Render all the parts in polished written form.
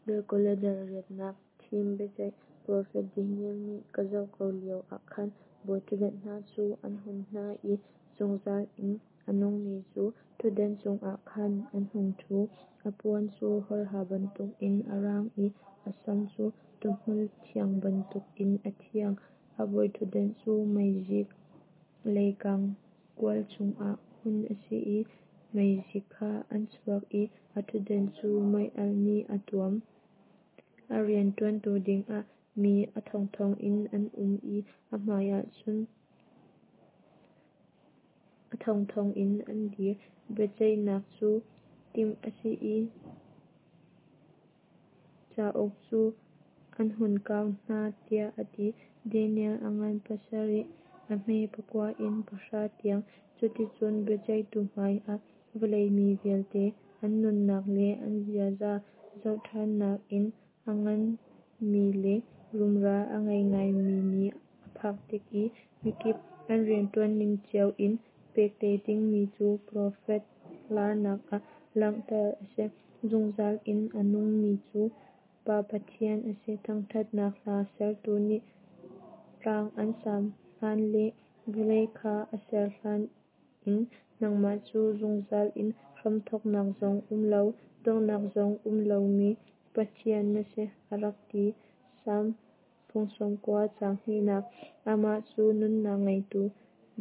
Dal 2 le dal 8nak Thim Biaceih Profet Daniel nih ka zoh ko lio ah khan bawiṭhutdan hna cu an hun hna i zungzal in a nungmi cu ṭhutdan cungah khan an hung ṭhu. A puan cu hawrha bantukin a rang i a sam cu tuuhmul thiang bantukin a thiang. A bawiṭhutdan cu meizik leikang kual chungah hun a si i meizik kha an chuak i a ṭhutdan cu meialh nih a tuam. A rian ṭuantu dingah mi a thongthong in an um i a hmaiah cun a thongthong in an dir. Biaceihnak cu timh a si i cauk cu an hun kau hna, tiah a ti. Daniel a ngan 7, a hme 9 in 10 tiang. Cuticun biaceihtu hmaiah vawlei mi vialte an nunnak le an ziaza zohṭhannak in a nganmi le rumra a ngei ngaimi ni a phak tik i mikip an rianṭuanning cio in pek te dingmi cu profet laarnak ah langhter a si. Zungzal in a nungmi cu Pa Pathian a si. Thangṭhatnak hla sertu nih tlang an saam hlan le vawlei kha a ser hlan in nangmah cu zungzal in hramthawknak zong um lo, donghnak zong um lomi Pathian na si, a rak ti. Salm 90 caang hnihnak. Amah cu nunnak ngeitu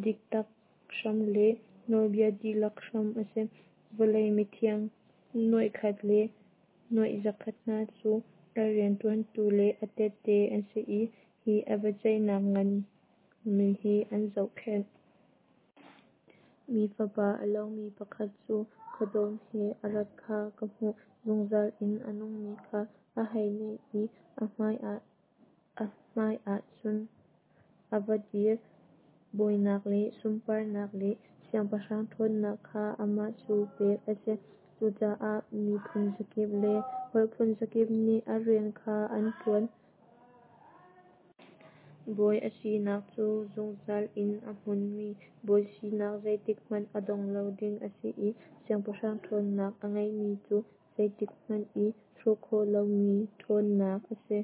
diktak hram le nawlbia dihlak hram a si. Vawlei mithiang nuaikhat le nuaizakhat hna cu a rianṭuantu le a tehte an si i hi a biaceihnak nganmi hi an zohkhenh. Mi fapa a lomi pakhat cu khuadawm he a rat kha ka hmuh. Zungzal in a nungmi kha a hei naih i a hmaiah cun a va dir. Bawinak le sunparnak le siangpahrang ṭhawnnak kha amah cu pek a si. Cucaah miphun zakip le holh phun zakip nih a rian kha an ṭuan. Bawi a sinak cu zungzal in a hmunmi bawi sinak zeitikhmanh a dong lo ding a si i siangpahrang ṭhawnnak a ngeihmi cu zeitikhmanh i hrawh khawh lomi ṭhawnnak a si.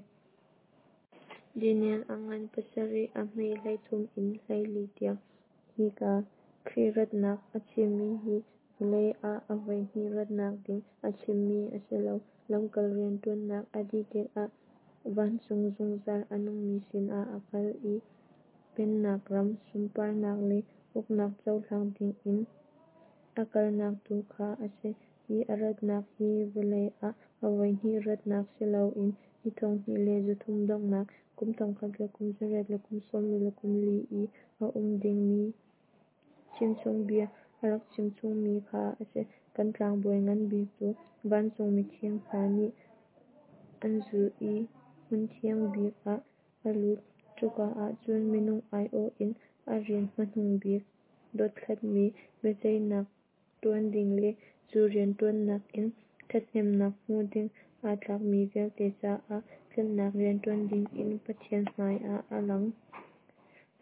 Daniel a ngan 7, a hme 13 in 14 tiang. Hika Khrih ratnak a chimmi hi vawlei ah a voihnih ratnak ding a chimmi a si lo. Lamkal rianṭuannak a dih tikah vancung zungzal a nungmi sinah a kal i pennak ram, sunparnak le uknak cohlang dingin a kalnak tu kha a si. Hi a ratnak hi vawlei ah a voihnih ratnak si loin ni 2300 donghnak, kum 1844 i a um dingmi chimchungbia a rak chimchungmi kha a si. Kan tlangbawi ngan bik cu vancung mithiang hna nih an zulh i hmunthiang bik ah a lut. Cuka ah cun minung aiawh in a rian hmanung bik dothlatmi biaceihnak ṭuan ding le cu rianṭuannak in ṭhathnemnak hmu ding aa tlakmi vialte caah tlanhnak rian ṭuan dingin Pathian hmaiah a lang.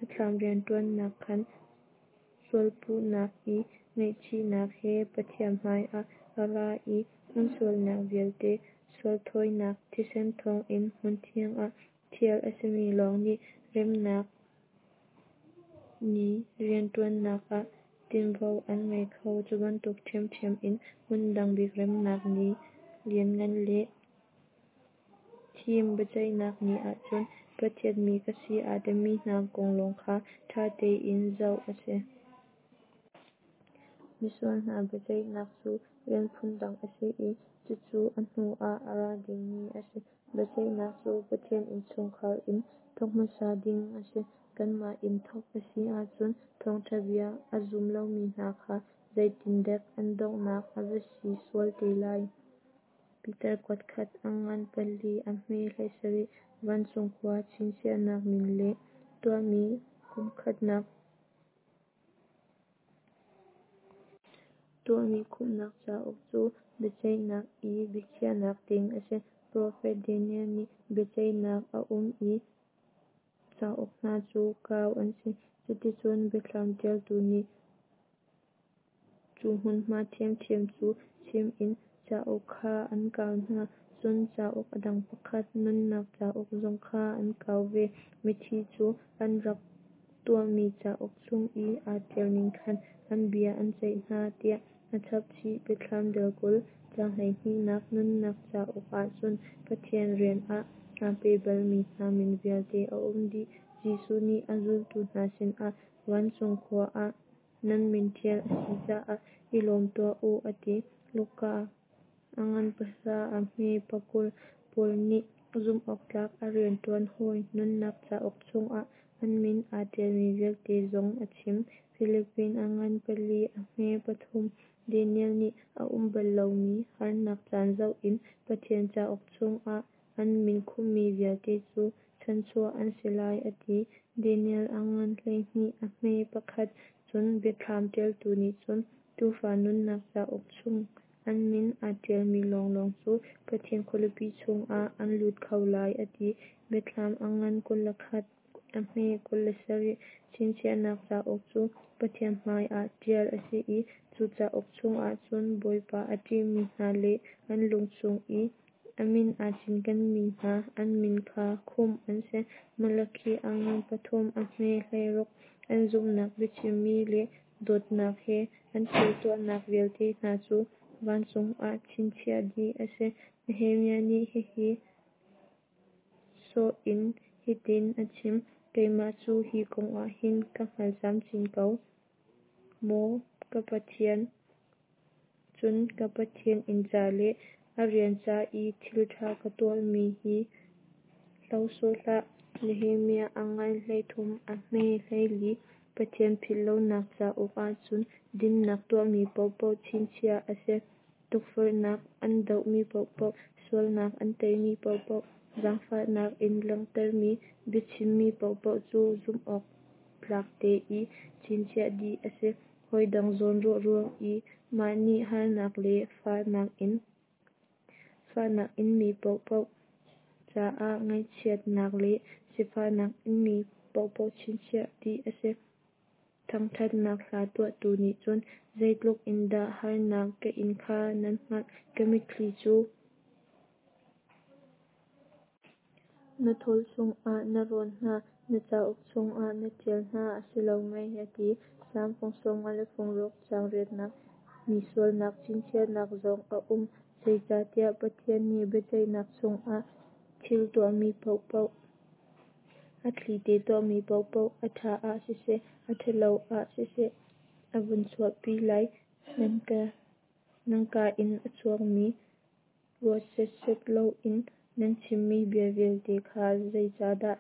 A thlam rianṭuannak khan sualpuhnak i ngaihchihnak he Pathian hmaiah a ra i an sualnak vialte sualthawinak thisen thawngin hmunthiang ah ṭhial a simi lawng nih remnak ni rianṭuannak ah tinvo an ngei kho. Cu bantuk ṭhiamṭhiam in hmun dang bik remnak ni lianngan le thim biaceihnak ni ah cun Pathian mi ka si aa timi hna kong lawng kha ṭha tein zoh a si. Misual hna biaceihnak cu rian phundang a si i cucu a hnu ah a ra dingmi a si. Biaceihnak cu Pathian innchungkhar in thawk hmasa ding a si. Kanmah in thawk a si ahcun thawngṭha bia a zum lomi hna kha zeitindek an donghnak a va si sual te lai. Peter kuatkhat, a ngan 4, a hme 17. Vancung khua chinchiahnak min le tuahmi kumkhatnak. Tuahmi khumhnak cauk cu biaceihnak i biakhiahnak ding a si. Profet Daniel nih biaceihnak a um i cauk hna cu kau an si. Cuticun Biathlam ṭialtu nih cu hmunhma ṭhiamṭhiam cu chim in cauk kha an kau hna. Cun cauk a dang pakhat, nunnak cauk zong kha an kau ve. Mithi cu an rak tuahmi cauk chung i aa ṭialning khan an bia an ceih hna, tiah a chap chih. Biathlam Dal 20, caang 12nak Nunnak cauk ahcun Pathian rian ah aa pe balmi hna min vialte a um dih. Jesuh nih a zultu hna sinah vancung khua ah nan min ṭial a si caah i lawm tuah u a ti. Luka a ngan pahra a hme pakul Paul nih zumhawktlak a rianṭuan hawi nunnak cauk chungah an min aa ṭialmi vialte zong a chim. Filipi a ngan pali a hme pathum Daniel nih a um bal lomi harnak caan zoh in Pathian cauk chungah an min khumhmi vialte cu chanhchuah an si lai a ti. Daniel a ngan 12 a hme pakhat Cun Biathlam ṭialtu nih cun Tuufa nunnak cauk chung an min aa ṭialmi lawnglawng cu Pathian khualipi chungah an lut kho lai a ti. Biathlam a ngan 21 a hme 27 Chinchiahnak cauk cu Pathian hmaiah ṭial a si i cu cauk chungah cun Bawipa a ṭihmi hna le an lung chung i a min aa cinkenmi hna an min kha khumh an si. Malakhi a ngan pathum a hme 16 An zumhnak biachimmi le dawtnak he an thil tuahnak vialte hna cu vancung ah chinchiah dih a si. Nehemiah nih hihi sawh in hitin a chim: Keimah cu hi kong ah hin ka hngal camcin ko, maw ka Pathian, cun ka Pathian inn ca le a rian ca i thil ṭha ka tuahmi hi hlo sawh hlah. Nehemiah a ngan 13 a hme 14 Pathian philhlonak cauk ahcun dinnak tuahmi paohpaoh chinchiah a si. Tukforhnak an dohmi paohpaoh, sualnak an teimi paohpaoh, zaangfahnak in langhtermi biachimmi paohpaoh cu zumhawktlak te i chinchiah dih a si. Hawidang zawnruah ruang i mah nih harnak le fahnak inmi paohpaoh caah ngaihchiatnak le sifahnak inmi paohpaoh chinchiah dih a si. Thangṭhatnak hla tuahtu nih cun zeitluk in dah harnak ka in kha nan hngalh. Ka mitthli cu na thawl chungah na rawn hna, na cauk chungah na ṭial hna a si lo mei, a ti. Salm fung 56 caang riatnak Mi sualnak chinchiahnak zong a um. Zeicahtiah Pathian nih biaceihnak chungah thil tuahmi paohpaoh, a thlite tuahmi paohpaoh, a ṭha ah siseh, a ṭhalo ah siseh, a vun chuahpi lai. Nan kaa in a chuakmi ruat setset loin nan chimmi bia vialte kha zeicahdah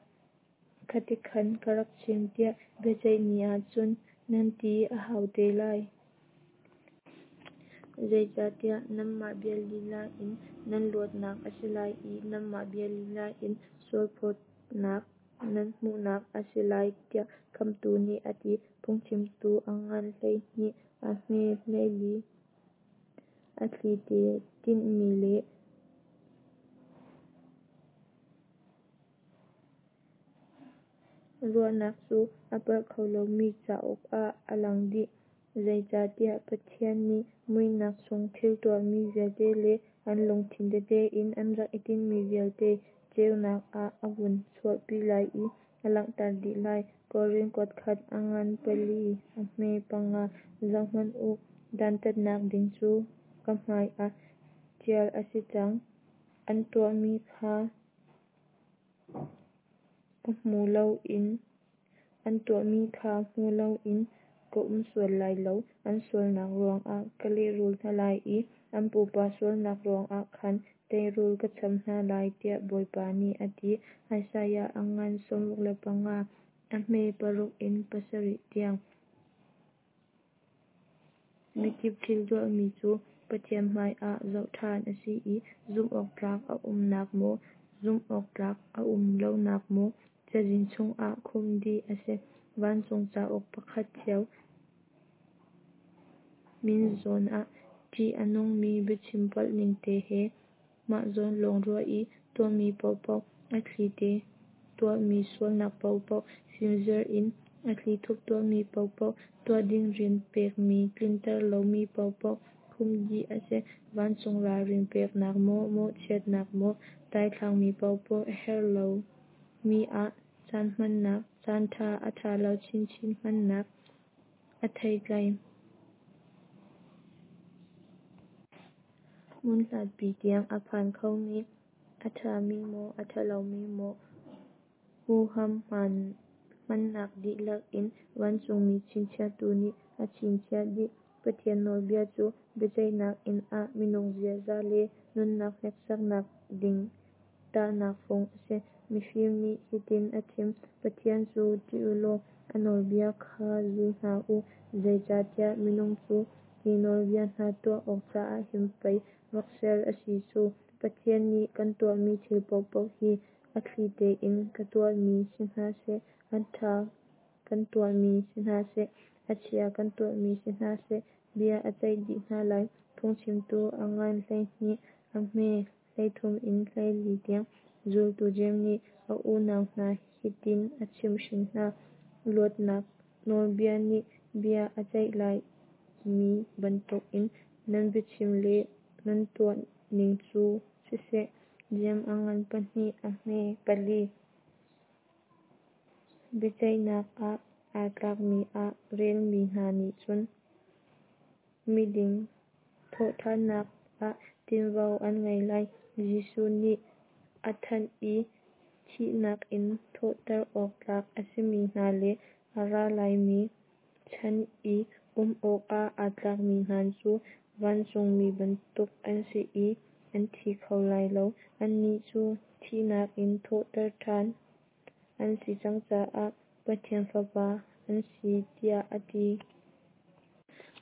khatikhan ka rak chim tiah biaceih ni ah cun nan ti a hau te lai. Zeicahtiah nanmah bia lila in nan luatnak a si lai i nanmah bia lila in sualphawtnak nan hmuhnak a si lai tiah Khamhtu nih a ti. Phungchimtu a ngan 12 a hme 14 A thlite tinhmi le ruahnak cu a palh kho lomi cauk ah a lang dih. Zeicahtiah Pathian nih muihnak chung thil tuahmi vialte le an lungthin tete in an rak i tinhmi vialte ceunak ah a vun chuahpi lai i a langhter dih lai. Korin kuatkhat a ngan pali a hme panga Zohhmanh u, dantatnak ding cu ka hmaiah ṭial a si cang. An tuahmi kha ka hmu loin an tuahmi kha hmu loin ka um sual lai lo. An sualnak ruangah ka lehrul hna lai i an pupa sualnak ruangah khan teirul ka cham hna lai, tiah Bawipa nih a ti. Isaiah a ngan 65 a hme paruk in pasarih tiang. Mikip thil tuahmi cu Pathian hmaiah zoh ṭhan a si i zumhawktlak a umnak maw, zumhawktlak a um lonak maw cazin chungah khumh dih a si. Vancung cauk pakhat cio min zawn ah ṭih a nungmi biachim palh ningte he mah zawn lawng ruah i tuahmi paohpaoh, a thlite tuahmi sualnak paohpaoh, fimzer in a thlithup tuahmi paohpaoh, tuah ding rian pekmi tlinter lomi paohpaoh. Khumh dih a si. Vancung ralrin peknak maw, mawhchiatnak maw, daithlangmi paohpaoh, a herh lomi ah caan hmannak, caan ṭha a ṭha lo chinchin hmannak a theitlai. Hmun hlatpi tiang a phan khomi, a ṭhami maw a ṭhalomi maw huham hmannak dihlak in vancungmi chinchiahtu nih a chinchiah dih. Pathian nawlbia cu biaceihnak inn ah minung ziaza le nunnak hneksaknak ding tahnak fung a si. Mifim nih hitin a chim, Pathian cu ṭih u law a nawlbia kha zul hna u, zeicahtiah minung cu hi nawlbia hna tuah awk caah hin pei rak ser a si cu. Pathian nih kan tuahmi thil paohpaoh hi a thli tein kan tuahmi si hna seh, a ṭha kan tuahmi si hna seh, a chia kan tuahmi si hna seh, bia a ceih dih hna lai. Phungchimtu a ngan 12 a hme 33 in 34 tiang. Zultu Jeim nih a unau hna hitin a chimhhrin hna, "Luatnak nawlbia nih bia a ceih laimi bantukin nan biachim le nan tuahning cu siseh." Jeim a ngan 2 a hme 4. Biaceihnak ah aa tlakmi ah relmi hna nih cun miding thawhṭhannak ah tinvo an ngei lai. Jesuh nih a thanh i thihnak in thawhter awk tlak a simi hna le a ra laimi chan i um awkah aa tlakmi hna cu vancungmi bantuk an si i an thi kho lai lo. Annih cu thihnak in thawhter ṭhan an si cang caah Pathian fapa an si tiah a ti.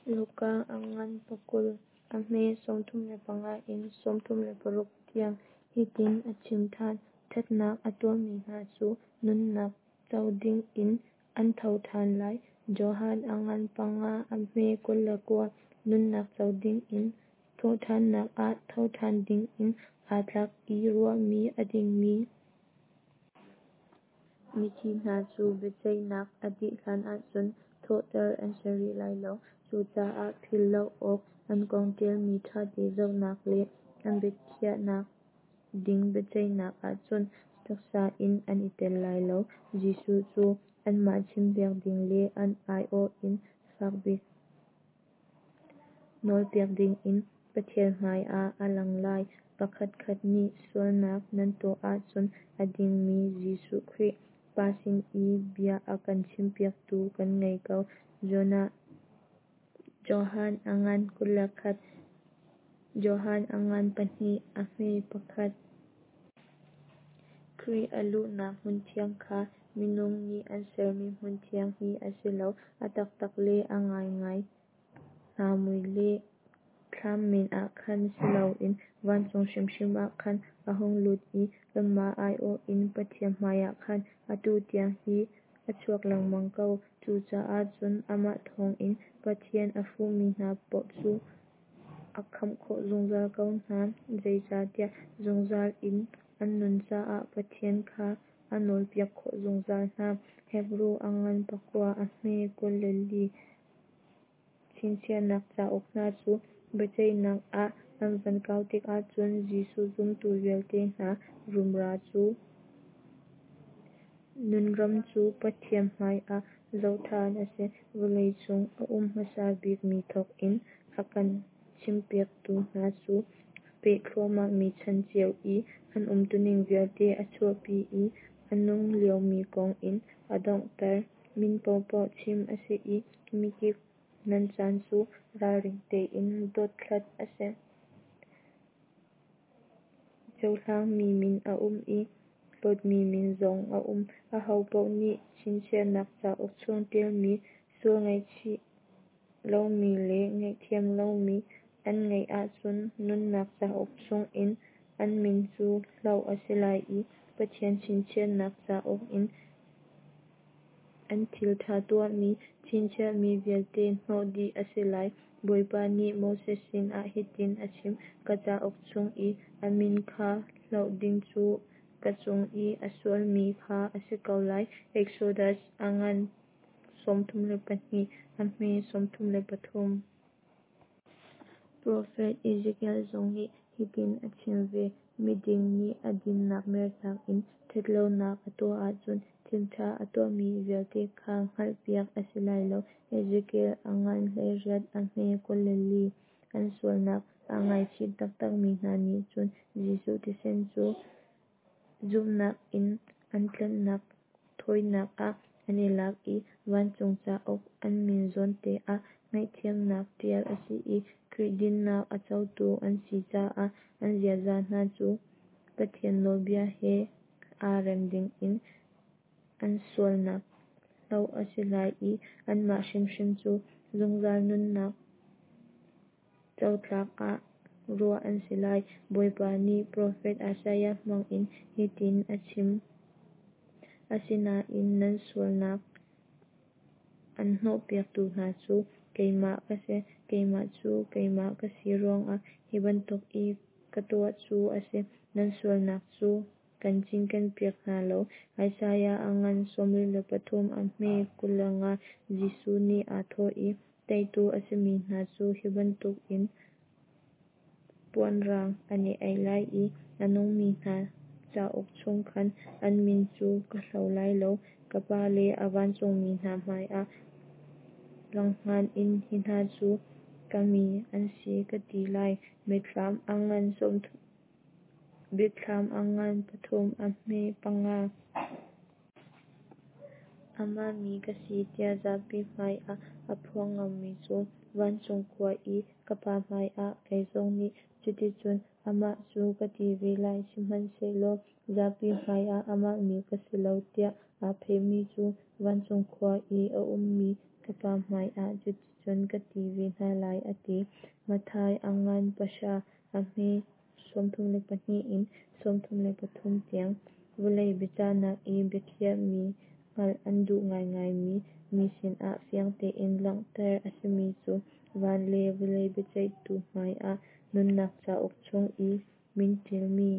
Luka a ngan 20 a hme 35 in 36 tiang. Hitin a chim ṭhan, ṭhatnak a tuahmi hna cu nunnak co dingin an tho ṭhan lai. Johan a ngan 5 a hme 29. Nunnak co dingin thawhṭhannak ah thoṭhan dingin aa tlak i ruahmi a dingmi mithi hna cu biaceihnak a dih hlan ahcun thawhter an si rih lai lo. Cucaah philh lo awk, an kong ṭialmi ṭhate zohnak le an biakhiahnak ding biaceihnak ahcun taksa in an i tel lai lo. Jesuh cu anmah chimpiak ding le an aiawh in fakbik nawlpiak dingin Pathian hmai ah a lang lai. Pakhatkhat nih sualnak nan tuah ahcun a dingmi Jesuh Khrih, Pa sin i bia a kan chimpiaktu kan ngei ko. Johan a ngan 21. Johan a ngan 2 a hme 1. Khrih a luhnak hmunthiang kha minung nih an sermi hmunthiang hi a si lo. A taktak le a ngaingai hna mui le thlam men ah khan si loin vancung hrimhrim ah khan a hung lut i kanmah aiawh in Pathian hmaiah khan atu tiang hi a chuak lengmang ko. Cucaah cun amah thawngin Pathian a fuhmi hna paoh cu a khamh khawh zungzal ko hna, zeicahtiah zungzal in an nun caah Pathian kha a nawlpiak khawh zungzal hna. Hebru a ngan 9 a hme 24. Chinchiahnak cauk hna cu biaceihnak ah an van kau tikah cun Jesuh zumtu vialte hna rumra cu nunram cu Pathian hmaiah zoh ṭhan a si. Vawleicung a um hmasa bikmi thawk in a kan chimpiaktu hna cu a peh thluahmahmi chan cio i an umtuning vialte a chuahpi i a nung liomi kong in a donghter. Min paohpaoh chim a si i mikip nan caan cu ralring tein dothlat a si. Cohlangmi min a um i hlawtmi min zong a um. Ahopaoh nih chinchiahnak cauk chung ṭialmi sual ngaihchih lomi le ngaihthiam lomi an ngeih ahcun nunnak cauk chungin an min cu hloh a si lai i Pathian chinchiahnak cauk in an thil ṭha tuahmi chinchiahmi vialte hnawh dih a si lai. Bawipa nih Moses sinah hitin a chim, Ka cauk chung i a min kha hloh ding cu ka cung i a sualmi kha a si ko lai. Exodus a ngan 32 a hme 33. Profet Ezekiel zong nih hitin a chim ve: Miding nih a dinnak mertak in ṭhatlonak a tuah ahcun thilṭha a tuahmi vialte kha hngalhpiak a si lai lo. Ezekiel a ngan 18 a hme 24. An sualnak aa ngaichih taktakmi hna nih cun Jesuh thisen cu zumhnak in an tlanhnak thawinak ah an i lak i vancung cauk an min zawnte ah ngaihthiamnak tial a si i Khrih dinnak a cotu an si caah an ziaza hna cu Pathian nawlbia he aa rem dingin an sualnak hloh a si lai i anmah hrimhrim cu zungzal nunnak cotlak ah ruah an si lai. Bawipa nih profet Isaiah hmangin hitin a chim: Asinain nan sualnak an hnawhpiaktu hna cu keimah ka si, keimah cu keimah ka si ruangah hi bantuk i ka tuah cu a si, nan sualnak cu kan cinkenpiak hna lo. Isaiah a ngan 43 a hme 25. Jesuh nih aa thawh i, Teitu a simi hna cu hi bantukin puan rang an i aih lai i a nungmi hna cauk chung khan an min cu ka hlo lai lo. Ka Pa le a vancungmi hna hmaiah langhngan in hi hna cu ka mi an si ka ti lai. Biathlam a ngan 3 a hme 5. Amah mi ka si tiah zapi hmaiah aa phuang ngammi cu vancung khua i ka Pa hmaiah kei zong nih cuticun amah cu ka ti ve lai. Sihmanhsehlaw zapi hmaiah amah mi ka si lo tiah aa phehmi cu vancung khua i a ummi ka Pa hmaiah cuticun ka ti ve hna lai, a ti. Matthai a ngan 9 a hme 32 in 33 tiang. Vawlei biachahnak i biakhiahmi hngalh an duh ngaingaimi mi sinah fiang tein langhter a simi cu van le vawlei biaceihtu hmaiah nunnak cauk chung i min ṭialmi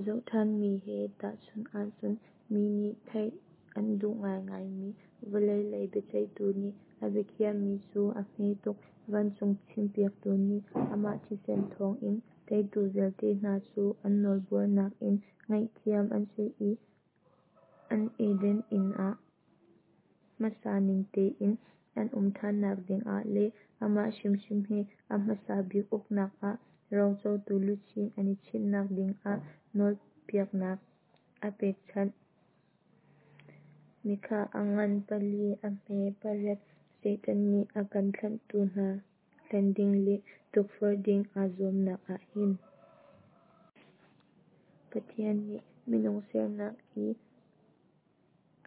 zoh ṭhanmi he tahchunh ahcun mi nih theih an duh ngaingaimi vawlei lei biaceihtu nih a biakhiahmi cu a hme tuk. Vancung thimpiaktu nih amah thisen thawngin teitu vialte hna cu an nawlbuarnak in ngaihthiam an si i an Eden inn ah hmasa ning tein an um ṭhannak dingah le amah hrimhrim he a hmasa bik uknak ah rocotu luchin an i chinhnak dingah nawlpiaknak a pekchanh. Mikah a ngan 4 a hme 8. Satan nih a kan tlanhtu hna hlen ding le tukforh ding aa zuamnak ah hin Pathian nih minung sernak i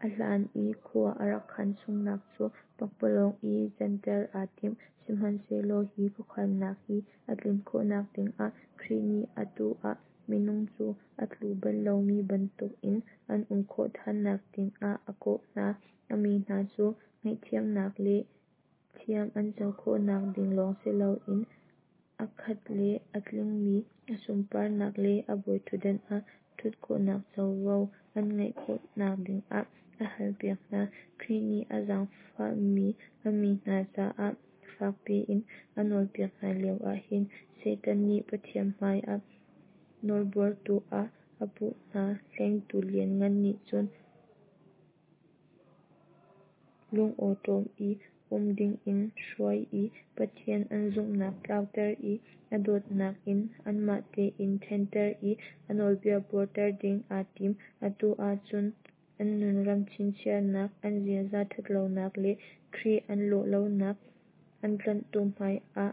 a hlan i khua a rak khan chungnak cu pakpalawng i canter aa tim. Sihmanhsehlaw hi khuakhannak hi a tlin khawhnak dingah Khrih nih atu ah minung cu a tlu bal lomi bantukin an um khawh ṭhannak dingah a kawh hna. A mi hna cu ngaihthiamnak le thiam an co khawhnak ding lawng si loin a khat le a tlingmi a sunparnak le a bawiṭhutdan ah ṭhut khawhnak covo an ngeih khawhnak dingah a halpiak hna. Khrih nih a zaangfahmi a mi hna caah fak piin a nawlpiak hna lioah hin Satan nih Pathian hmaiah nawlbuartu ah a puh hna. Hlengtu lianngan nih cun lungawṭawm i um dingin hruai i Pathian an zumhnak tlauter i a dawtnak in anmah tein ṭhenter i a nawlbia buarter ding aa tim. Atu ah cun an nunram chinchiahnak, an ziaza ṭhatlonak le Khrih an lawh lonak, an tlanhtu hmaiah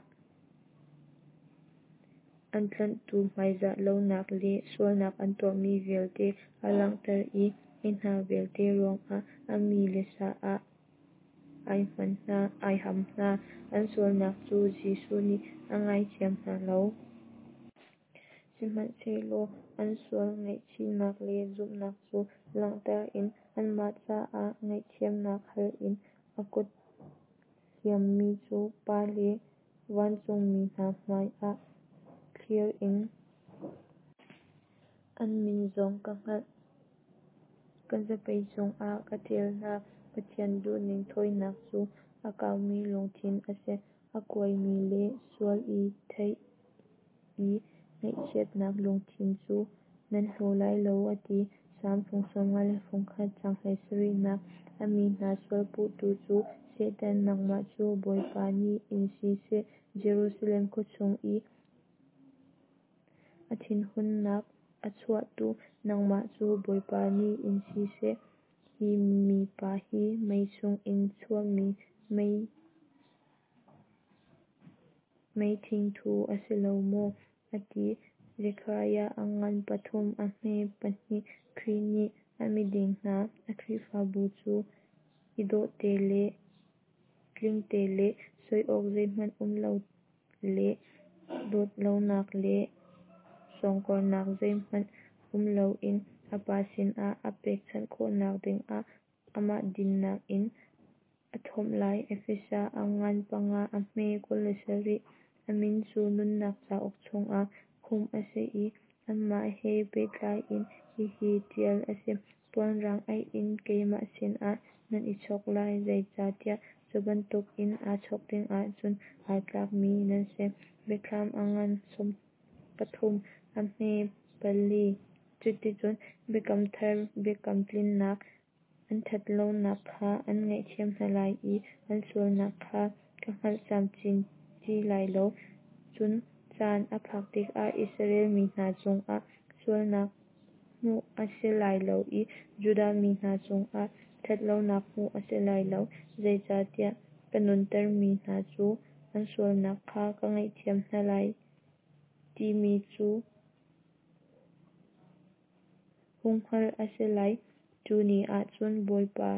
an tlanhtu hmaizah lonak le sualnak an tuahmi vialte a langhter i hi hna vialte ruangah a mi le sa ah ai ham hna. An sualnak cu Jesuh nih a ngaithiam hna lo. Sihmanhsehlaw an sual ngaihchihnak le zumhnak cu langhter in anmah caah ngaihthiamnak hal in a kut hliammi cu Pa le vancungmi hna hmaiah thlir in An min zong ka hngalh, ka zapei cungah ka ṭial hna. Pathian duhning thawinak cu a kaumi lungthin a si. A kuaimi le sual i theih i ngaihchiatnak lungthin cu nan hlaw lai lo, a ti. Salm fung 51 caang 17nak A mi hna sual puhtu cu Satan nangmah cu Bawipa nih in si seh, Jerusalem khua cung i a thinhunnak a chuahtu nangmah cu Bawipa nih in si seh. Hi mipa hi mei chungin chuahmi mei thingthu a si lo maw? a ti. Zekhariah a ngan pathum a hme pahnih Khrih nih a miding hna a Khrihfabu cu i dawhte le tlingte le soi awk zeihmanh um lo le dot lonak le sawngkornak zeihmanh um loin a Pa sinah a pekchanh khawhnak dingah amah dinnak in a thomh lai. Efesa a ngan panga a hme 27 A min cu nunnak cauk chungah khumh a si i anmah he pehtlai in hihi ṭial a si: Puan rang aih in keimah sinah nan i chawk lai, zeicahtiah cu bantukin aa chawk dingah cun aa tlakmi nan si. Biathlam a ngan 13 a hme pali Cuticun biakam thar biakam tlinnak, an ṭhatlonak kha an ngaihthiam hna lai i an sualnak kha ka hngal camcin ti lai lo. Cun caan a phak tikah Israel mi hna cungah sualnak hmuh a si lai lo i Judah mi hna cungah ṭhatlonak hmuh a si lai lo, zeicahtiah ka nuntermi hna cu an sualnak kha ka ngaihthiam hna lai timi cu hung hngalh a si lai. Cu ni ah cun Bawipa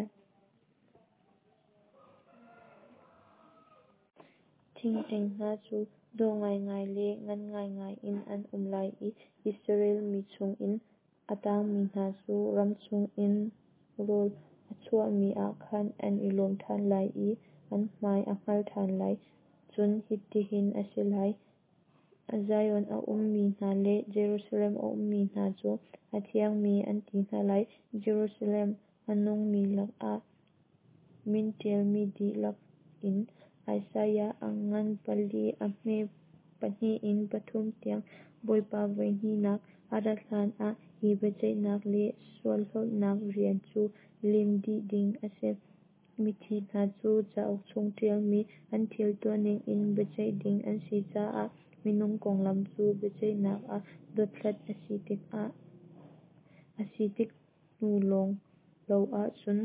Thingṭeng hna cu dawh ngaingai le ngan ngaingai in an um lai i Israel mi chungin a tangmi hna cu ram chungin rawl a chuahmi ah khan an i lawm ṭhan lai i an hmai a hngal ṭhan lai. Cun hitihin a si lai, Zion a ummi hna le Jerusalem a ummi hna cu a thiangmi an ti hna lai, Jerusalem a nungmi lakah min ṭialmi dihlak in. Isaiah a ngan pali a hme pahnih in pathum tiang Bawipa voi hnihnak a rat hlanah hi biaceihnak le sualhlawtnak rian cu lim dih ding a si. Mithi hna cu cauk chung ṭialmi an thil tuahning in biaceih ding an si caah minung konglam cu biaceihnak ah dothlat a si tik hnu lawng lo ahcun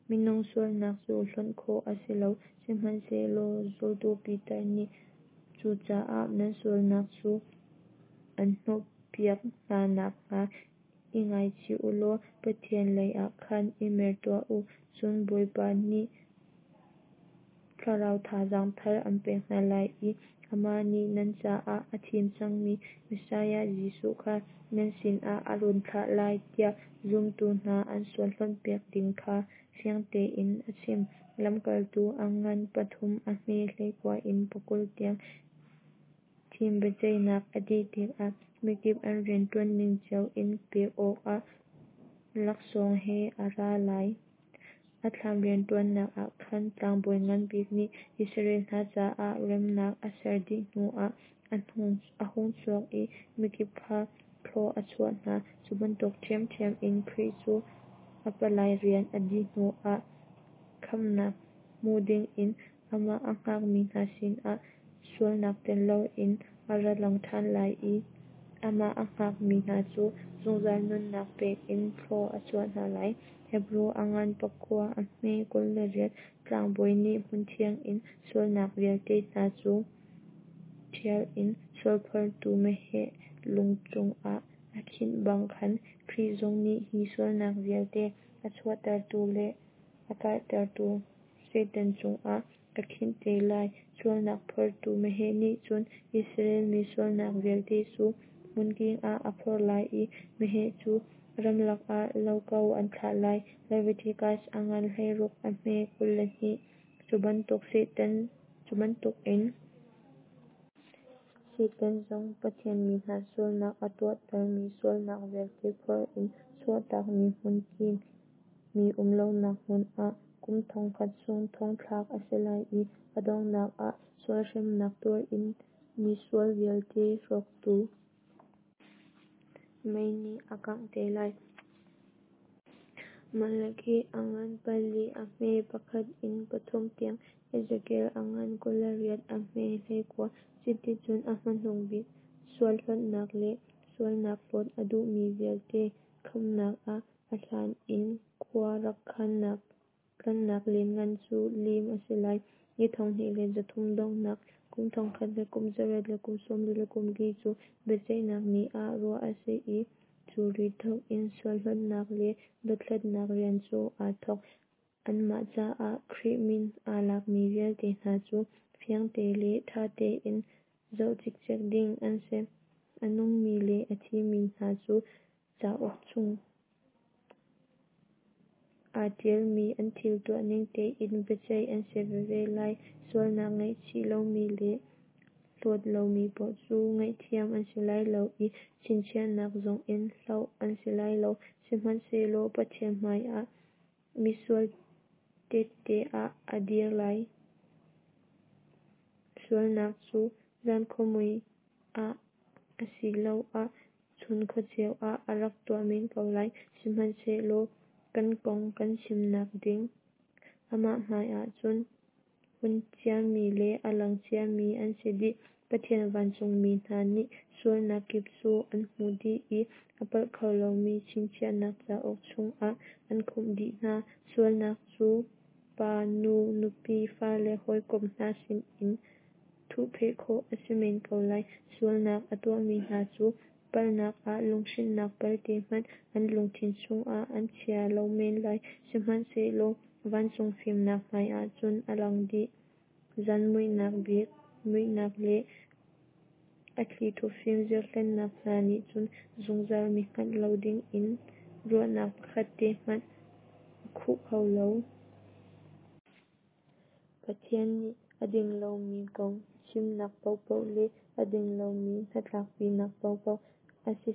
minung sualnak cu hlonh khawh a si lo. Sihmanhsehlaw zultu Piter nih, Cucaah nan sualnak cu an hnawhpiak hna nakhnga i ngaichih u law Pathian leiah khan i mer tuah u, cun Bawipa nih thlarau thazaang thar an pek hna lai i amah nih nan caah a thim cangmi Messiah Jesuh kha nan sinah a run thlah lai, tiah zumtu hna an sual hlonhpiak ding kha fiang tein a chim. Lamkaltu a ngan pathum a hme 19 in pakul tiang Thim biaceihnak a dih tikah mikip an rianṭuanning cio in pek awkah laksawng he a ra lai. A thlam rianṭuannak ah khan tlangbawi ngan bik nih Israel hna caah remnak a ser dih hnuah a hung chuak i mikip kha thlua a chuah hna. Cu bantuk ṭhiamṭhiam in Khrih cu a palai rian a dih hnuah khamhnak hmu dingin amah a hngakmi hna sinah sualnak tel loin a ra lang ṭhan lai i amah a hngakmi hna cu zungzal nunnak pek in thlua a chuah hna lai. Hebru a ngan pakua a hme 28 Tlangbawi nih hmunthiang in sualnak vialte hna cu ṭhial in sualphortu meheh lu cungah a khinh bang khan Khrih zong nih hi sualnak vialte a chuahtertu le a karhtertu Satan cungah a khinh te lai. Sualnak phortu meheh nih cun Israel mi sualnak vialte cu hmunking ah a phorh lai i meheh cu ramlak ah lo ko an thlah lai. Leviticus a ngan 16 a hme 22 Cu bantukin Satan zong Pathian mi hna sualnak a tuahtermi sualnak vialte phor in chuahtakmi hmunking, mi um lonak hmun ah kum 1000 chung thongthlak a si lai i a donghnak ah sual hremnak tuar in misual vialte hrawktu mei nih a kangh te lai. Malakhi a ngan pali a hme pakhat in pathum tiang, Ezekiel a ngan 28 a hme 19. Cuticun a hmanung bik sual hlawtnak le sualnak hlawt a duhmi vialte khamhnak ah a hlan in khua rak khannak tlanhnak lianngan cu lim a si lai. Ni 2300 donghnak, kum thongkhat le kum zariat le kum sawmli le kum li cu biaceihnak ni ah ruah a si i cu ri thawk in sual hlawtnak le dothlatnak rian cu aa thawk. Anmah caah Khrih min aa lakmi vialte hna cu fiangte le ṭha tein zoh cikcek ding an si. A nungmi le a thimi hna cu cauk chung aa ṭialmi an thil tuahning tein biaceih an si veve lai. Sualnak ngaihchih lomi le hlawt lomi paoh cu ngaihthiam an si lai lo i chinchiahnak zongin hloh an si lai lo. Sihmanhsehlaw Pathian hmaiah misual tehte ah a dir lai. Sualnak cu zan khuamui ah asiloah chun khuaceu ah a rak tuah men ko lai. Sihmanhsehlaw kan kong kan chimnak ding amah hmaiah cun hun ciami le a lang ciami an si dih. Pathian vancungmi hna nih sualnak kip cu an hmuh dih i a palh kho lomi chinchiahnak cauk chungah an khumh dih hna. Sualnak cu pa, nu, nupi, fale, hawikom hna sinin thuhpheh khawh a si men ko lai. Sualnak a tuahmi hna cu palhnak ah lunghrinnak pelte hmanh an lungthin chungah an chia lo men lai. Sihmanhsehlaw vancung fimnak hmaiah cun a lang dih. Zan muihnak bik muihnak le a thlithup fimzir hlennak hna nih cun zungzal mi hngalh lo dingin ruahnak pakhat te hmanh a khuh kho lo. Pathian nih a ding lomi kong chimnak paohpaoh le a ding lomi hnatlakpinak paohpaoh a si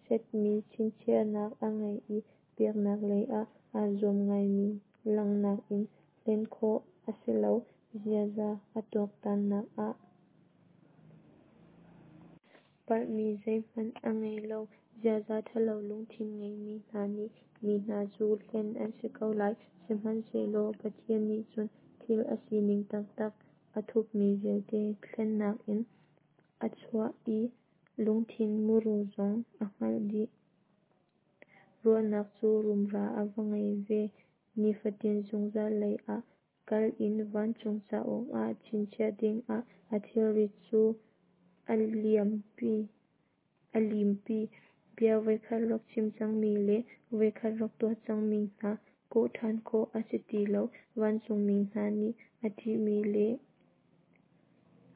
setmi chinchiahnak a ngei i biaknak lei ah aa zuam ngaimi langhnak in hlen khawh a si lo. Ziaza a tuaktannak ah palhmi zeihmanh a ngei lo. Ziaza ṭhalo lungthin ngeimi hna nih mi hna cu hlen an si ko lai. Sihmanhsehlaw Pathian nih cun thil a sining taktak a thupmi vialte hlennak in a chuah i lungthin muru zong a hngalh dih. Ruahnak cu rumra a va ngei ve. Nifatin zungzal lei ah kal in vancung cauk ah chinchiah dingah a thilrit cu a limpi. Bia voikhat rak chim cangmi le voikhat rak tuah cangmi hna kawh ṭhan khawh a si ti lo. Vancungmi hna nih a ṭihmi le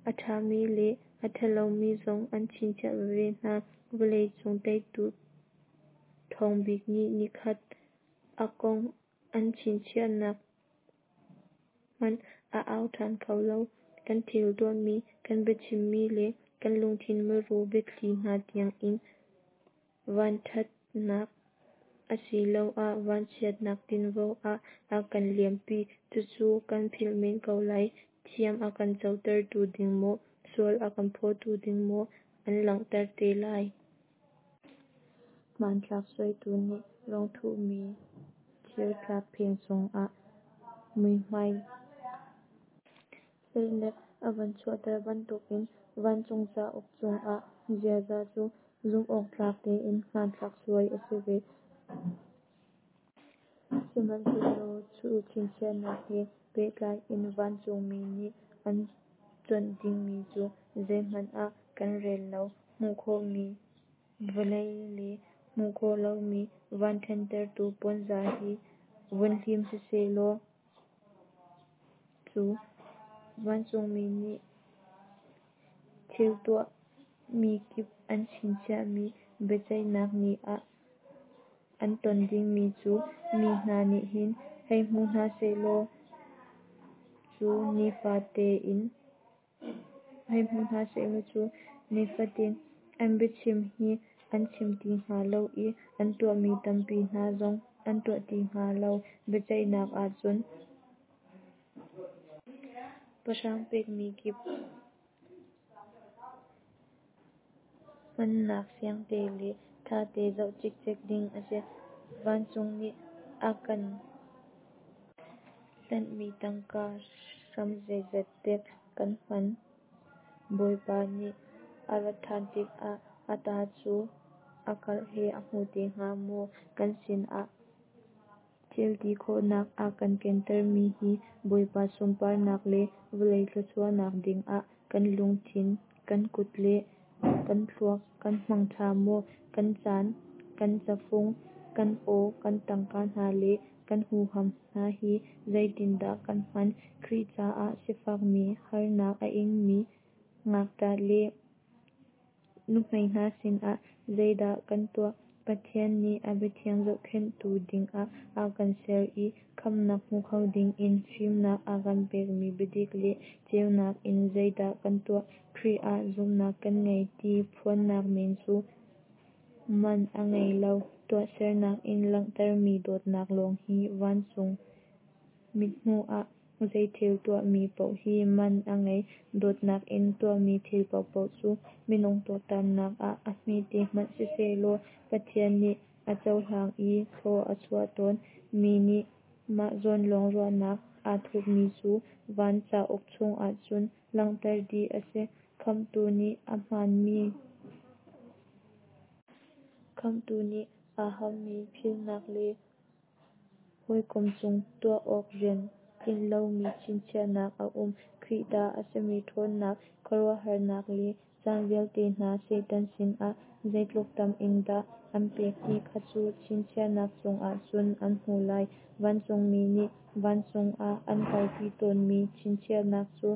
a ṭhami le a ṭhalomi zong an chinchiah veve hna. Vawlei cung teitu ṭhawng bik nih nikhat a kong an chinchiahnak hmanh a au ṭhan kho lo. Kan thil tuahmi, kan biachimmi le kan lungthin muru biathli hna tiangin vanṭhatnak asiloah vanchiatnak tinvo ah a kan liampi. Cucu kan philh men ko lai. Thiam a kan cotertu ding maw, sual a kan phawtu ding maw an langhter te lai. Hmanthlak suaitu nih rang thuhmi thirtlap pheng cungah muihmai hleinek a van chuahter bantukin vancung cauk cungah ziaza cu zumhawktlak tein hmanthlak suai a si ve. Sihmanhsehlaw cu chinchiahnak he pehtlai in vancungmi nih an cuanh dingmi cu zeihmanh ah kan rel lo. Hmuh khawhmi vawlei le hmuh khawh lomi van ṭhentertu puanzar hi vun hlim sisehlaw cu vancungmi nih thil tuahmi kip an chinchiahmi biaceihnak ni ah an ton dingmi cu mi hna nih hin hei hmu hna sehlaw cu nifatin an biachim hi an chim ti hnga lo i an tuahmi tampi hna zong an tuah ti hnga lo. Biaceihnak ahcun pahrang pekmi kip hmannak fiangte le thate zoh cikcek ding a si. Vancung nih a kan hlanhmi tangka hram zeizat dek kan hman? Bawipa nih a rat than tikah a ta cu a karh he a hmu te hnga maw? Kan sinah thilti khawhnak a kan kentermi hi Bawipa sunparnak le vawlei thluachuahnak dingah kan lungthin, kan kut le kan thluak kan hmang tha maw? Kan caan, kan cafung, kan aw, kan tangka hna le kan huham hna hi zeitindah kan hman? Khrih caah sifakmi, harnak a ingmi, ngakṭah le nuhmei hna sinah zeidah kan tuah? Pathian nih a biathiang zohkhenhtu dingah a kan ser i khamhnak hmu kho dingin fimnak a kan pekmi biadik le ceunak in zeidah kan tuah? Khrih ah zumhnak kan ngei ti phuannak men cu man a ngei lo, tuahsernak in langhtermi dawtnak lawng hi vancung mithmuh ah zeithil tuahmi paoh hi man a ngei. Dawtnak in tuahmi thil paohpaoh cu minung tuaktannak ah a hmete hmanh sisehlaw Pathian nih a cohlang i thlua a chuah tawn. Mi nih mah zawn lawng ruahnak aa thupmi cu van cauk chungah cun langhter dih a si. Khamhtu nih a hmanmi Khamhtu nih aa hammi philhnak le hawikom cung tuah awk rian tlinh lomi chinchiahnak a um. Khrih ta a simi ṭhawnnak, khuaruahharnak le caan vialte hna Satan sinah zeitluk tam in dah an pek ti kha cu chinchiahnak chungah cun an hmuh lai. Vancungmi nih vancung ah an kalpi tawnmi chinchiahnak cu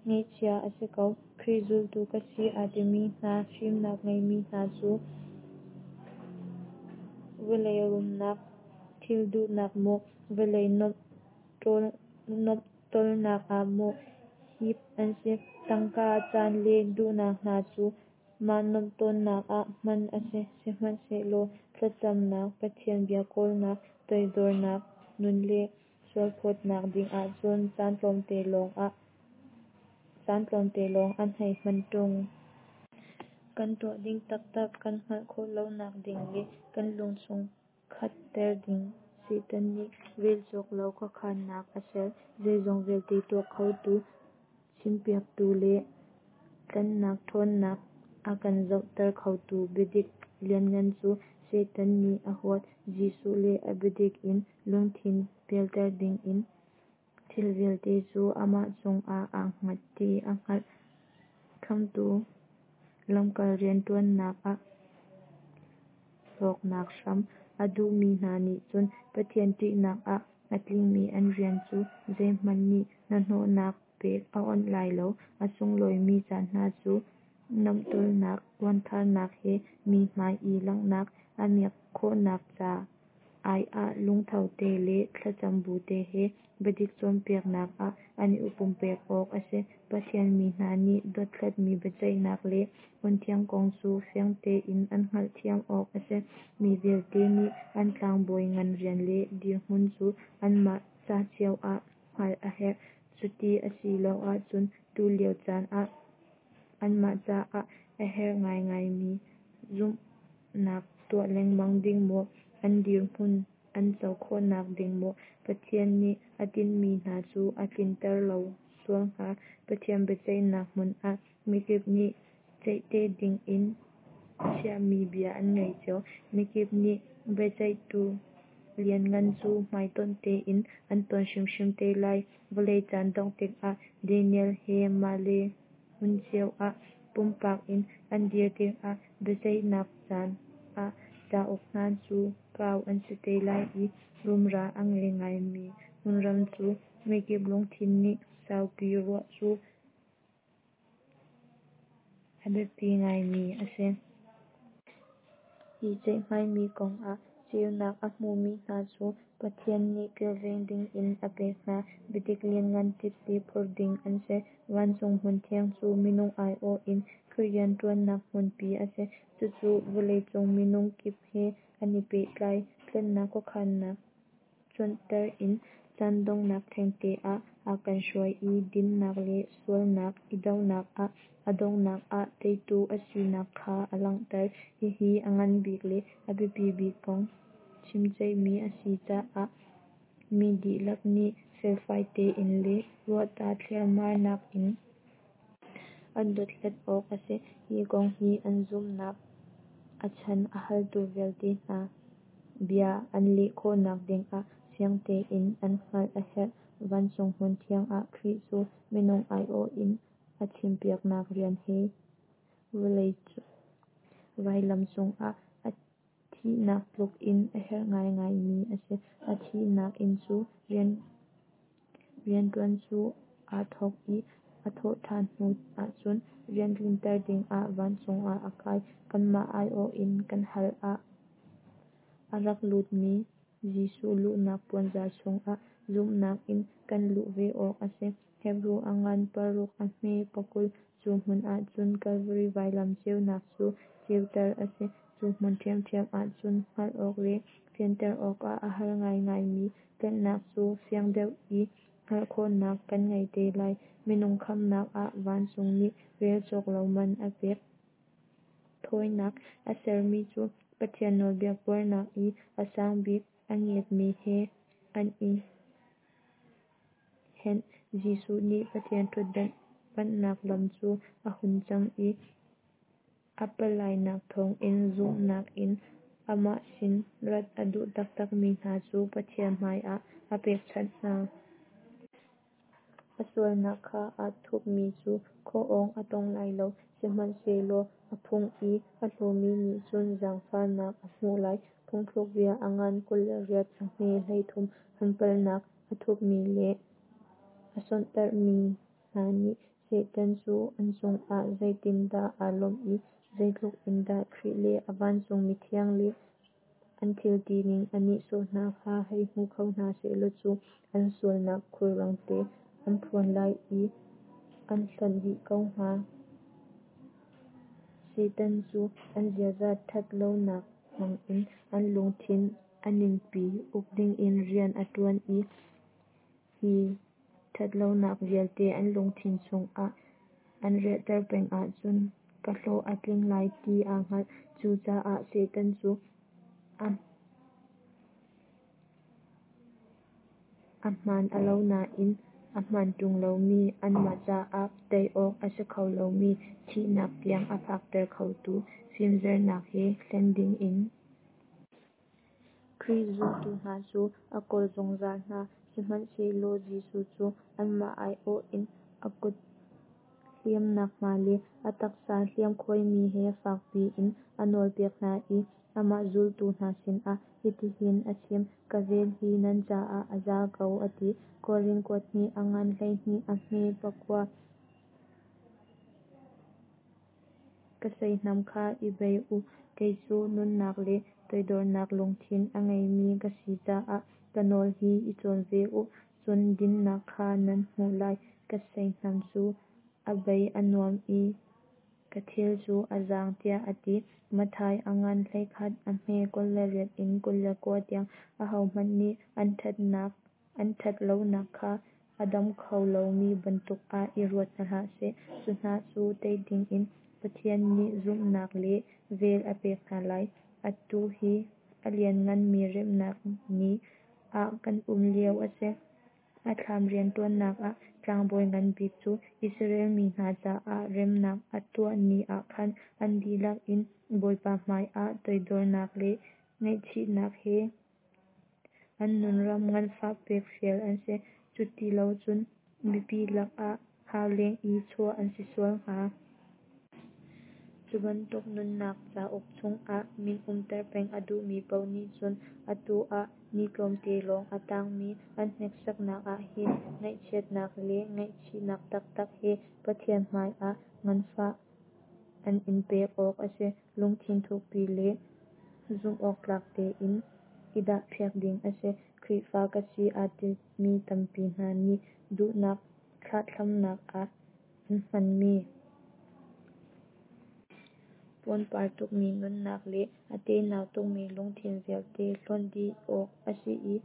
ngeihcia a si ko. Khrih zultu ka si aa timi hna, fimnak ngeimi hna cu vawlei rumnak thil duhnak maw, vawlei nuamhtawlnak ah maw hip an si. Tangka, caan le duhnak hna cu mah nuamhtawnnak ah hman a si. Sihmanhsehlaw thlacamnak, Pathian bia kawlnak, toidornak nun le sualphawtnak dingah cun caan tlawmte lawng an hei hman ṭung. Kan tuah ding taktak kan hngalh khawh lonak ding le kan lungchung khatter ding Satan nih relcawk lo khuakhannak a ser. Zeizong vialte tuah khotu, chimpiaktu le tlanhnak ṭhawnnak a kan zohter khotu biadik lianngan cu Satan nih a huat. Jesuh le a biadik in lungthin pialter dingin thil vialte cu amah cungah aa hngat ti a hngalh. Khamhtu lamkal rianṭuannak ah hlawknak hram a duhmi hna nih cun Pathian ṭihnak ah a tlingmi an rian cu zeihmanh nih hnahnawhnak pek a onh lai lo. A sunglawimi caan hna cu nuamhtawlnak, uantharnak he mi hmai i langhnak a miak khawhnak ca ai ah lungtho te le thlacam bu te he biadik cawnpiaknak ah an i pumpek awk a si. Pathian mi hna nih dothlatmi biaceihnak le hmunthiang kong cu fiang tein an hngalhthiam awk a si. Mi vialte nih an tlangbawi ngan rian le dirhmun cu anmah ca cio ah hngalh a herh. Cuti a si lo ahcun tulio caan ah anmah caah a herh ngaingaimi zumhnak tuah lengmang ding maw, an dirhmun an co khawhnak ding maw, Pathian nih a tinhmi hna cu a tlinter lo sual hnga. Pathian biaceihnak hmun ah mikip nih ceihte dingin chiahmi bia an ngei cio. Mikip nih biaceihtu lianngan cu hmaitonh tein an ton hrimhrim te lai. Vawlei caan dongh tikah Daniel he mah le hmun cio ah pumpak in an dir tikah biaceihnak caan ah cauk hna cu kau an si te lai i rumra a ngei ngaimi hmunram cu mikip lungthin nih saupi ruah cu a biapi ngaimi a si. Hi ceihmaimi kongah ceunak a hmumi hna cu Pathian nih kilveng dingin a pek hna biadik lianngan tehte phur ding an si. Vancung hmunthiang cu minung aiawh in Khrih rianṭuannak hmunpi a si. Cucu vawleicung minung kip he an i pehtlai. Tlanhnak khuakhannak cuanter in caan donghnak thengte ah a kan hruai i dinnak le sualnak i dohnak ah a donghnak ah teitu a sinak kha a langhter. Hihi a nganbik le a biapi bik kong chimceihmi a si caah mi dihlak nih felfai tein le ruahta thliarmarnak in an dothlat awk a si. Hi kong hi an zumhnak a chan a haltu vialte hna bia an leh khawhnak dingah fiang tein an hngalh a herh. Vancung hmunthiang ah Khrih cu minung aiawh in a chimpiaknak rian he vailam cungah a thihnak tluk in a herh ngaingaimi a si. A thihnak in cu rianṭuan cu aa thawk i a thawhṭhan hnu ahcun rian tlinter dingah vancung ah a kai. Kanmah aiawh in kan hal ah a rak lutmi Jesuh luhnak puanzar chungah zumhnak in kan luh ve awk a si. Hebru a ngan paruk a hme 20. Cu hmun ahcun Kalvari vailam ceunak cu ceuter a si. Cu hmun ṭhiamṭhiam ahcun hngalh awk le fianter awkah a har ngaingaimi tlanhnak cu fiang deuh i hngalh khawhnak kan ngei te lai. Minung khamhnak ah vancung nih rel cawk lo man a pek. Thawinak a sermi cu Pathian nawlbia buarnak i a sangbik a ngiatmi he an i henh. Jesuh nih Pathian ṭhutdan panhnak lam cu a hun cang i a palainak thawngin zumhnak in amah sin rat a duh taktakmi hna cu Pathian hmaiah a pekchanh hna. A sualnak kha aa thupmi cu khuaawng a tong lai lo, sihmanhsehlaw a phung i a hlawmi nih cun zaangfahnak a hmuh lai. Phungthlukbia a ngan 28 a hme 33. An palhnak a thupmi le a sonhtarhmi hna nih Satan cu an cungah zeitindah aa lawmh i zeitluk in dah Khrih le a vancung mithiang le an thil tining a nihsawh hna kha hei hmu kho hna sehlaw cu an sualnak khulrang tein an phuan lai i an hlonh dih ko hnga. Satan cu an ziaza ṭhat lonak hmangin an lungthin a ningpi uk dingin rian a ṭuan i hi ṭhatlonak vialte an lungthin chungah an riahter peng ahcun ka hlawh a tling lai ti aa hngalh. Cucaah Satan cu a hmaan a lo nain a hmaan ṭung lomi, anmah caah tei awk a si kho lomi, thihnak tiang a phakter khotu fimzernak he hlen dingin Khrih zultu hna cu a kawl zungzal hna. Sihmanhsehlaw Jesuh cu anmah aiawh in a kut hliamnak hma le a taksa hliamkhuaimi he fak piin a nawlpiak hna i amah zultu hna sinah hitihin a chim, Ka vel hi nan caah a za ko, a ti. Korin kuat hnih a ngan 12 a hme 9. Ka seihnam kha i bei u, kei cu nunnak le toidornak lungthin a ngeimi ka si caah ka nawl hi i cawn ve u, cun dinhnak kha nan hmuh lai. Ka seihnam cu a bei a nuam i ka thil cu a zaang, tiah a ti. Matthai a ngan 11 a hme 28 in 29 tiang. Ahohmanh nih an ṭhat lonak kha a dam kho lomi bantuk ah i ruat hna hlah seh. Cu hna cu tei dingin Pathian nih zumhnak le vel a pek hna lai. Atu hi a liannganmi remnak ni ah kan um lio a si. A thlam rianṭuannak ah tlangbawi ngan bik cu Israel mi hna caah remnak a tuah ni ah khan an dihlak in Bawipa hmaiah toidornak le ngaihchihnak he an nunram nganfah pek fial an si, cutilocun mipi lakah hauleng i chuah an si sual hnga. Cu bantuk nunnak cauk chungah min umter peng a duhmi paoh nih cun atu ah ni tlawmte lawng a tangmi an hneksaknak ah hin ngaihchiatnak le ngaihchihnak taktak he Pathian hmaiah nganfah an in pek awk a si. Lungthin thukpi le zumhawktlak tein i dahpiak ding a si. Khrihfa ka si aa timi tampi hna nih duhnak thlahthlamnak ah an hmanmi. Pawrpar tukmi nunnak le a tenau tukmi lungthin vialte hlonh dih awk a si i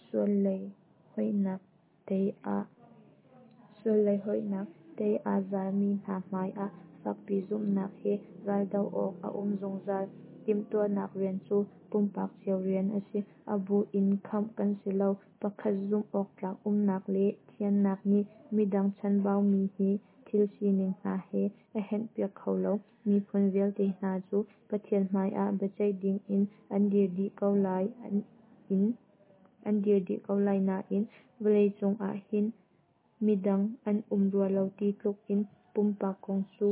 sual lei hoihnak tei aa zalmi hna hmai ah fakpi zumhnak he raldoh awk a um zungzal. Timhtuahnak rian cu pumpak cio rian a si, a bu in khamh kan si lo. Pakhat zumh awktlak umnak le thiannak nih midang chanbaumi hi thil sining hna he a henpiak kho lo. Miphun vialte hna cu Pathian hmai ah biaceih dingin an dir dih ko lai nain vawlei cung ah hin midang an um rua lo ti tluk in pumpak kong cu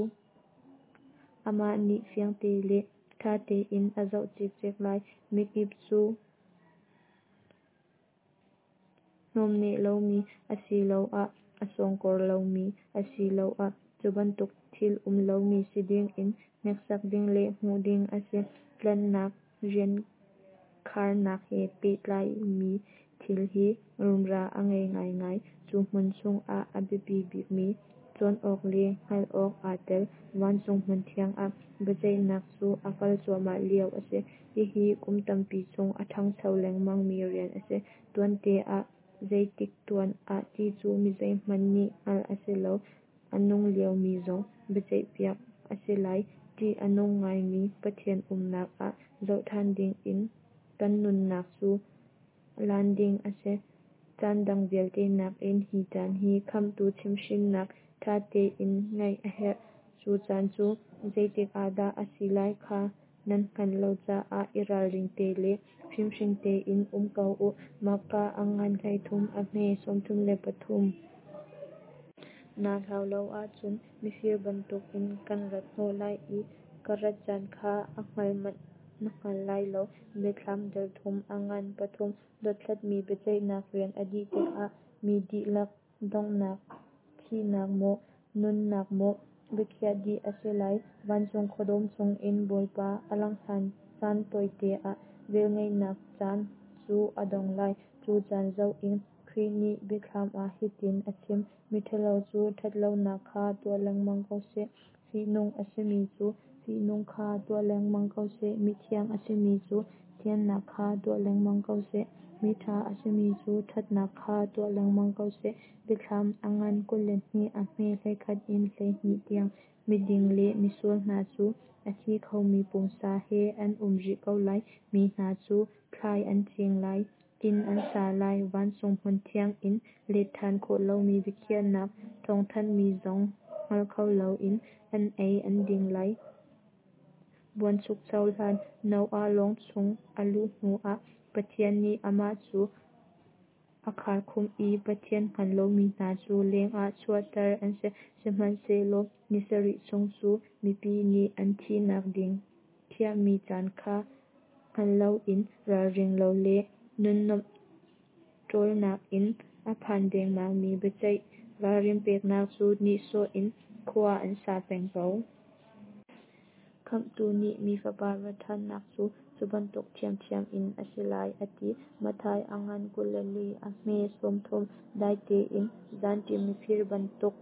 amah nih fiangte le ṭha tein a zoh cikcek lai. Mikip cu hnawmneh lomi asiloah a sawngkawr lomi asiloah cubantuk thil um lomi si dingin hneksak ding le hmuh ding a si. Tlanhnak rian kharnak he pehtlaimi thil hi rumra a ngei ngaingai. Cu hmun chungah a biapi bikmi cawn awk le hngalh awk aa tel. Vancung hmunthiang ah biaceihnak cu a kal cuahmah lio a si. Hihi kum tampi chung a ṭhangcho lengmang mi rian a si. Tuante ah zeitik tuan ah ti cu mizeihmanh nih hngalh a si lo. A nung lio mi zong biaceihpiak a si lai. Ṭih a nung ngaimi Pathian umnak ah zohṭhan dingin kan nunnak cu lan ding a si. Caan dang vialte nakin hi caan hi Khamhtu chimhhrinnak ṭha tein ngaih a herh. Cu caan cu zeitik ah dah a si lai kha nan hngalh lo caah i ralring te le fimhring tein um ko u. Marka a ngan 13 a hme 33. Naa hlau lo ahcun mifir bantukin kan rat hnawh lai i ka rat caan kha a hngalh hmanh na hngal lai lo. Biathlam dal thum a ngan pathum. Dothlatmi biaceihnak rian a dih tikah mi dihlak donghnak, thihnak maw, nunnak maw, biakhiah dih a si lai. Vancung khuadawm chungin Bawipa a langh hlan caan tawite ah velngeihnak caan cu a dong lai. Cu caan zoh in Khrih nih Biathlam ah hitin a chim: Miṭhalo cu ṭhatlonak kha tuah lengmang ko seh, fihnung a simi cu fihnung kha tuah lengmang ko seh, mithiang a simi cu thiannak kha tuah lengmang ko seh, miṭha a simi cu ṭhatnak kha tuah lengmang ko seh. Biathlam a ngan 22 a hme 11 in 12 tiang. Miding le misual hna cu a thi khomi pumsa he an um rih ko lai. Mi hna cu thlai an cing lai, inn an sa lai, vancung hmunthiang in letṭhan khawh lomi biakhiahnak thawngthanhmi zong hngal kho loin an ei an ding lai. Buanchukcho hlan, Noah lawng chung a luh hnu ah Pathian nih amah cu a kharkhumh i Pathian hngal lomi hna cu lengah chuahter an si. Sihmanhsehlaw ni sarih chung cu mipi nih an thihnak ding khiahmi caan kha hngal loin ralring lo le nunnuamh ṭawlnak in a phan dengmangmi biaceih ralrin peknak cu nihsawh in khua an sa peng ko. Khamhtu nih Mi Fapa rat ṭhannak cu cubantuk ṭhiamṭhiam in a si lai, a ti. Matthai a ngan 24 a hme 30. Dai tein zanṭim mifir bantuk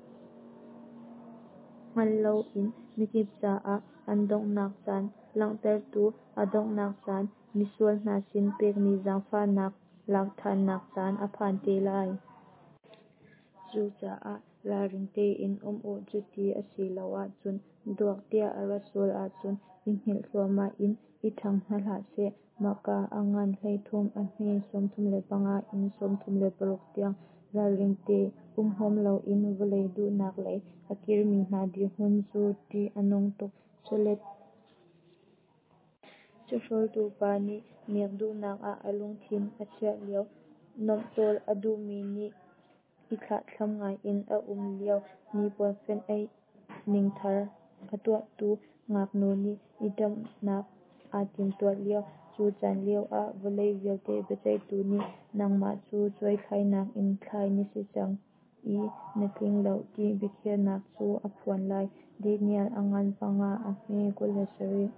hngal loin mikip caah an donghnak caan langhtertu a donghnak caan, misual hna sin pekmi zaangfahnak lakṭhannak caan a phan te lai. Cucaah ralring tein um u, cuti a si lo ahcun duak tiah a rat sual ahcun i hngilh thluahmah in in ṭhang hna hlah seh. Marka a ngan 13 a hme 35 in 36 tiang. Ralring te um huam loin vawlei duhnak lei a kirmi hna dirhmun cu ṭih a nung tuk. Chawlet chawhrawltu pa nih miak duhnak ah a lungthin a chiah lio, nuamhtawl a duhmi nih i thlahthlam ngaiin a um lio, hnipuan fenh-aih ning thar a tuahtu ngaknu nih i ṭhitumnak aa timhtuah lio, cu caan lioah vawlei vialte biaceihtu nih nangmah cu cuaithlainak in thlai na si cang i na tling lo ti biakhiahnak cu a phuan lai. Daniel a ngan panga a hme 27.